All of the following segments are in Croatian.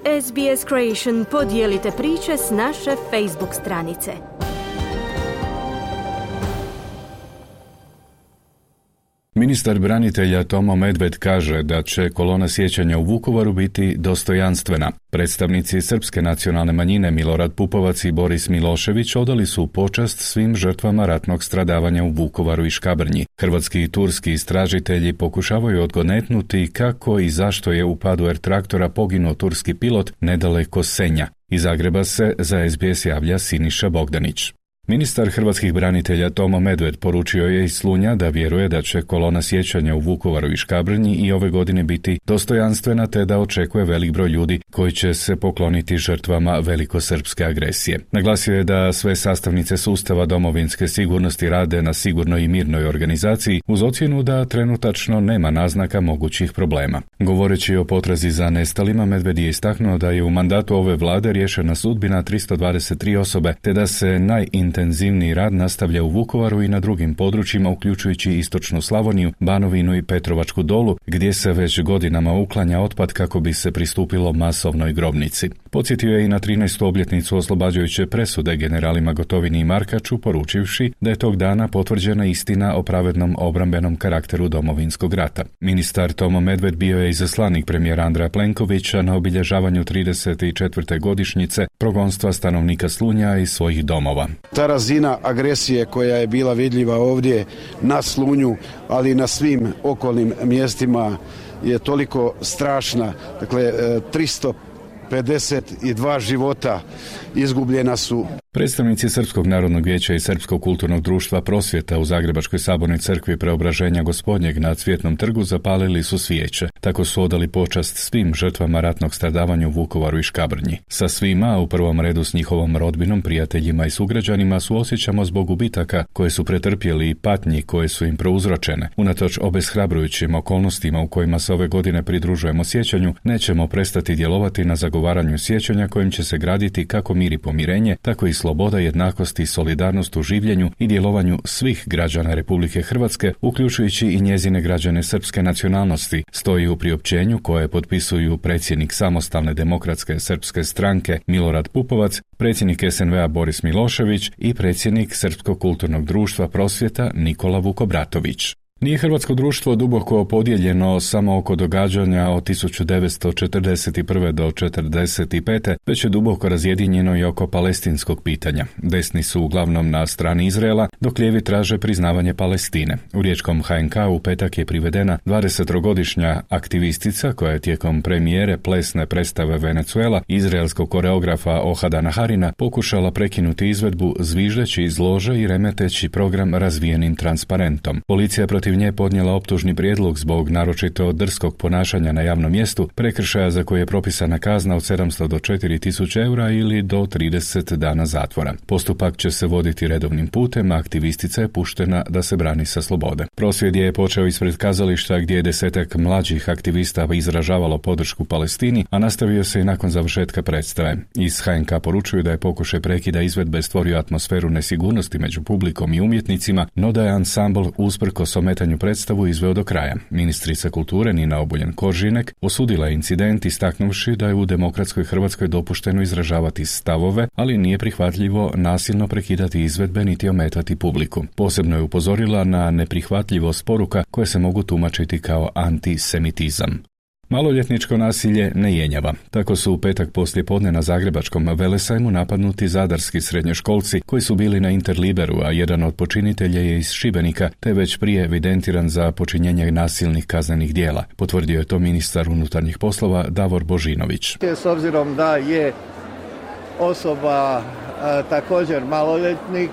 SBS Creation, podijelite priče s naše Facebook stranice. Ministar branitelja Tomo Medved kaže da će kolona sjećanja u Vukovaru biti dostojanstvena. Predstavnici srpske nacionalne manjine Milorad Pupovac i Boris Milošević odali su počast svim žrtvama ratnog stradavanja u Vukovaru i Škabrnji. Hrvatski i turski istražitelji pokušavaju odgonetnuti kako i zašto je u padu R-traktora poginuo turski pilot nedaleko Senja. Iz Zagreba se za SBS javlja Siniša Bogdanić. Ministar hrvatskih branitelja Tomo Medved poručio je iz Slunja da vjeruje da će kolona sjećanja u Vukovaru i Škabrnji i ove godine biti dostojanstvena te da očekuje velik broj ljudi koji će se pokloniti žrtvama velikosrpske agresije. Naglasio je da sve sastavnice sustava domovinske sigurnosti rade na sigurnoj i mirnoj organizaciji uz ocjenu da trenutačno nema naznaka mogućih problema. Govoreći o potrazi za nestalima, Medved je istaknuo da je u mandatu ove vlade riješena sudbina 323 osobe te da se intenzivni rad nastavlja u Vukovaru i na drugim područjima, uključujući istočnu Slavoniju, Banovinu i Petrovačku dolu, gdje se već godinama uklanja otpad kako bi se pristupilo masovnoj grobnici. Podsjetio je i na 13. obljetnicu oslobađajuće presude generalima Gotovini i Markaču, poručivši da je tog dana potvrđena istina o pravednom obrambenom karakteru Domovinskog rata. Ministar Tomo Medved bio je izaslanik premijera Andreja Plenkovića na obilježavanju 34. godišnjice progonstva stanovnika Slunja i svojih domova. Ta razina agresije koja je bila vidljiva ovdje na Slunju, ali i na svim okolnim mjestima je toliko strašna. Dakle, 352 života izgubljena su. Predstavnici Srpskog narodnog vijeća i Srpskog kulturnog društva Prosvjeta u Zagrebačkoj sabornoj crkvi Preobraženja Gospodnjeg na Cvjetnom trgu zapalili su svijeće. Tako su odali počast svim žrtvama ratnog stradavanja u Vukovaru i Škabrnji. Sa svima, u prvom redu s njihovom rodbinom, prijateljima i sugrađanima, suosjećamo zbog gubitaka koje su pretrpjeli i patnji koje su im prouzročene. Unatoč obeshrabrujućim okolnostima u kojima se ove godine pridružujemo sjećanju, nećemo prestati djelovati na zagovaranju sjećanja kojim će se graditi kako mir i pomirenje, tako i sloboda, jednakost i solidarnost u življenju i djelovanju svih građana Republike Hrvatske, uključujući i njezine građane srpske nacionalnosti, stoji u priopćenju koje potpisuju predsjednik Samostalne demokratske srpske stranke Milorad Pupovac, predsjednik SNV-a Boris Milošević i predsjednik Srpskog kulturnog društva Prosvjeta Nikola Vukobratović. Nije hrvatsko društvo duboko podijeljeno samo oko događanja od 1941. do 1945. već je duboko razjedinjeno i oko palestinskog pitanja. Desni su uglavnom na strani Izraela, dok lijevi traže priznavanje Palestine. U riječkom HNK u petak je privedena 20-godišnja aktivistica koja je tijekom premijere plesne predstave Venezuela izraelskog koreografa Ohada Naharina pokušala prekinuti izvedbu zviždeći iz lože i remeteći program razvijenim transparentom. Policija protiv nje podnijela optužni prijedlog zbog naročito drskog ponašanja na javnom mjestu, prekršaja za koje je propisana kazna od 700 do 4000 eura ili do 30 dana zatvora. Postupak će se voditi redovnim putem, a aktivistica je puštena da se brani sa slobode. Prosvjed je počeo ispred kazališta gdje je 10 mlađih aktivista izražavalo podršku Palestini, a nastavio se i nakon završetka predstave. Iz HNK poručuju da je pokušaj prekida izvedbe stvorio atmosferu nesigurnosti među publikom i umjetnicima, no da je ansambl usprkos ometanju predstavu izveo do kraja. Ministrica kulture Nina Obuljen-Koržinek osudila je incident istaknuvši da je u demokratskoj Hrvatskoj dopušteno izražavati stavove, ali nije prihvatljivo nasilno prekidati izvedbe niti ometati publiku. Posebno je upozorila na neprihvatljivost poruka koje se mogu tumačiti kao antisemitizam. Maloljetničko nasilje ne jenjava. Tako su u petak poslijepodne na zagrebačkom Velesajmu napadnuti zadarski srednjoškolci koji su bili na Interliberu, a jedan od počinitelja je iz Šibenika, te već prije evidentiran za počinjenje nasilnih kaznenih djela. Potvrdio je to ministar unutarnjih poslova Davor Božinović. S obzirom da je osoba također maloljetnik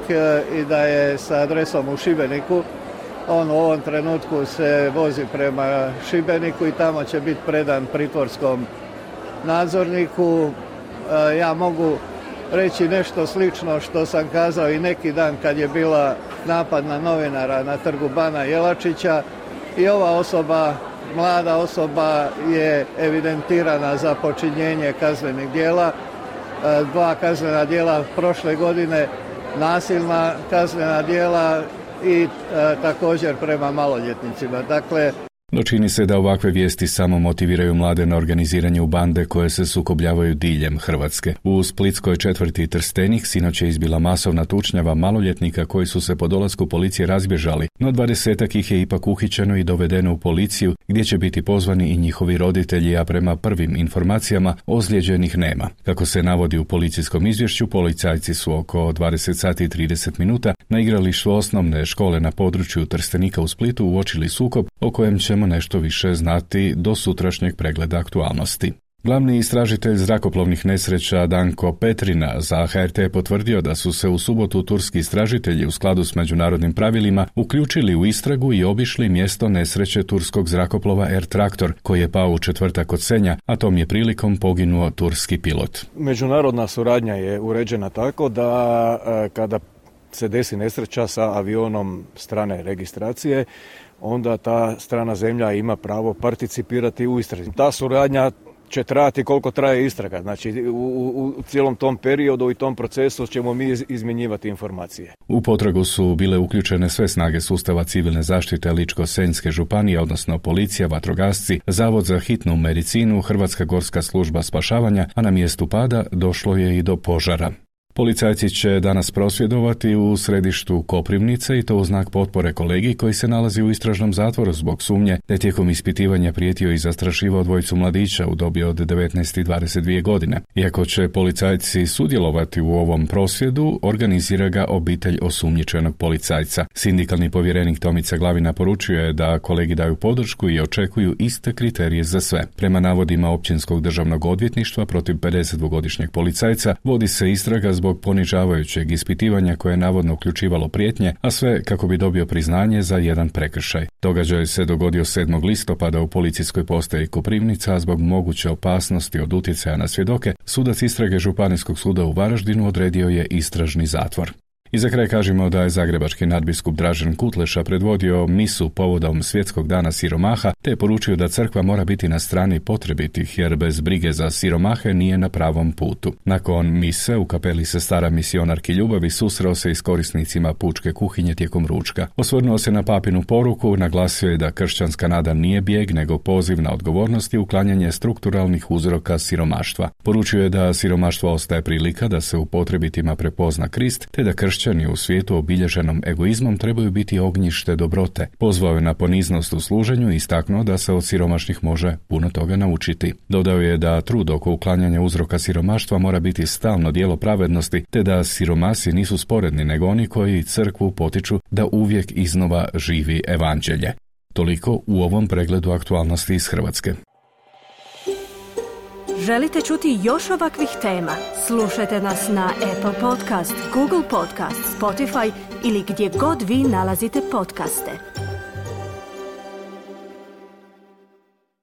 i da je sa adresom u Šibeniku, on u ovom trenutku se vozi prema Šibeniku i tamo će biti predan pritvorskom nadzorniku. Ja mogu reći nešto slično što sam kazao i neki dan kad je bila napad na novinara na trgu Bana Jelačića. I ova osoba, mlada osoba, je evidentirana za počinjenje kaznenih djela. 2 kaznena djela prošle godine, nasilna kaznena djela i također prema maloljetnicima. Dakle, No čini se da ovakve vijesti samo motiviraju mlade na organiziranje u bande koje se sukobljavaju diljem Hrvatske. U splitskoj četvrti Trstenik sinoć je izbila masovna tučnjava maloljetnika koji su se po dolasku policije razbježali, no 20-ak ih je ipak uhićeno i dovedeno u policiju gdje će biti pozvani i njihovi roditelji, a prema prvim informacijama ozlijeđenih nema. Kako se navodi u policijskom izvješću, policajci su oko 20 sati i 30 minuta na igralištu osnovne škole na području Trstenika u Splitu uočili sukob o kojem ćemo nešto više znati do sutrašnjeg pregleda aktualnosti. Glavni istražitelj zrakoplovnih nesreća Danko Petrina za HRT je potvrdio da su se u subotu turski istražitelji u skladu s međunarodnim pravilima uključili u istragu i obišli mjesto nesreće turskog zrakoplova Air Traktor koji je pao u četvrtak od Senja, a tom je prilikom poginuo turski pilot. Međunarodna suradnja je uređena tako da kada se desi nesreća sa avionom strane registracije, onda ta strana zemlja ima pravo participirati u istrazi. Ta suradnja će trajati koliko traje istraga. Znači u cijelom tom periodu i tom procesu ćemo mi izmjenjivati informacije. U potragu su bile uključene sve snage sustava civilne zaštite Ličko-senjske županije, odnosno policija, vatrogasci, Zavod za hitnu medicinu, Hrvatska gorska služba spašavanja, a na mjestu pada došlo je i do požara. Policajci će danas prosvjedovati u središtu Koprivnice i to u znak potpore kolegi koji se nalazi u istražnom zatvoru zbog sumnje da je tijekom ispitivanja prijetio i zastrašivao dvojicu mladića u dobi od 19 i 22 godine. Iako će policajci sudjelovati u ovom prosvjedu, organizira ga obitelj osumnjičenog policajca. Sindikalni povjerenik Tomica Glavina poručio je da kolegi daju podršku i očekuju iste kriterije za sve. Prema navodima Općinskog državnog odvjetništva protiv 52-godišnjeg policajca vodi se istraga zbog ponižavajućeg ispitivanja koje je navodno uključivalo prijetnje, a sve kako bi dobio priznanje za jedan prekršaj. Događaj se dogodio 7. listopada u policijskoj postaji Koprivnica, a zbog moguće opasnosti od utjecaja na svjedoke, sudac istrage Županijskog suda u Varaždinu odredio je istražni zatvor. I za kraj kažemo da je zagrebački nadbiskup Dražen Kutleša predvodio misu povodom Svjetskog dana siromaha, te je poručio da crkva mora biti na strani potrebitih jer bez brige za siromahe nije na pravom putu. Nakon mise u kapeli Sestara misionarki ljubavi susreo se i s korisnicima pučke kuhinje tijekom ručka. Osvrnuo se na papinu poruku, naglasio je da kršćanska nada nije bijeg nego poziv na odgovornost i uklanjanje strukturalnih uzroka siromaštva. Poručio je da siromaštvo ostaje prilika da se u potrebitima prepozna Krist, te da kršćani u svijetu obilježenom egoizmom trebaju biti ognjište dobrote. Pozvao je na poniznost u služenju i istaknuo da se od siromašnih može puno toga naučiti. Dodao je da trud oko uklanjanja uzroka siromaštva mora biti stalno djelo pravednosti, te da siromasi nisu sporedni nego oni koji crkvu potiču da uvijek iznova živi evanđelje. Toliko u ovom pregledu aktualnosti iz Hrvatske. Želite čuti još ovakvih tema? Slušajte nas na Apple Podcast, Google Podcast, Spotify ili gdje god vi nalazite podcaste.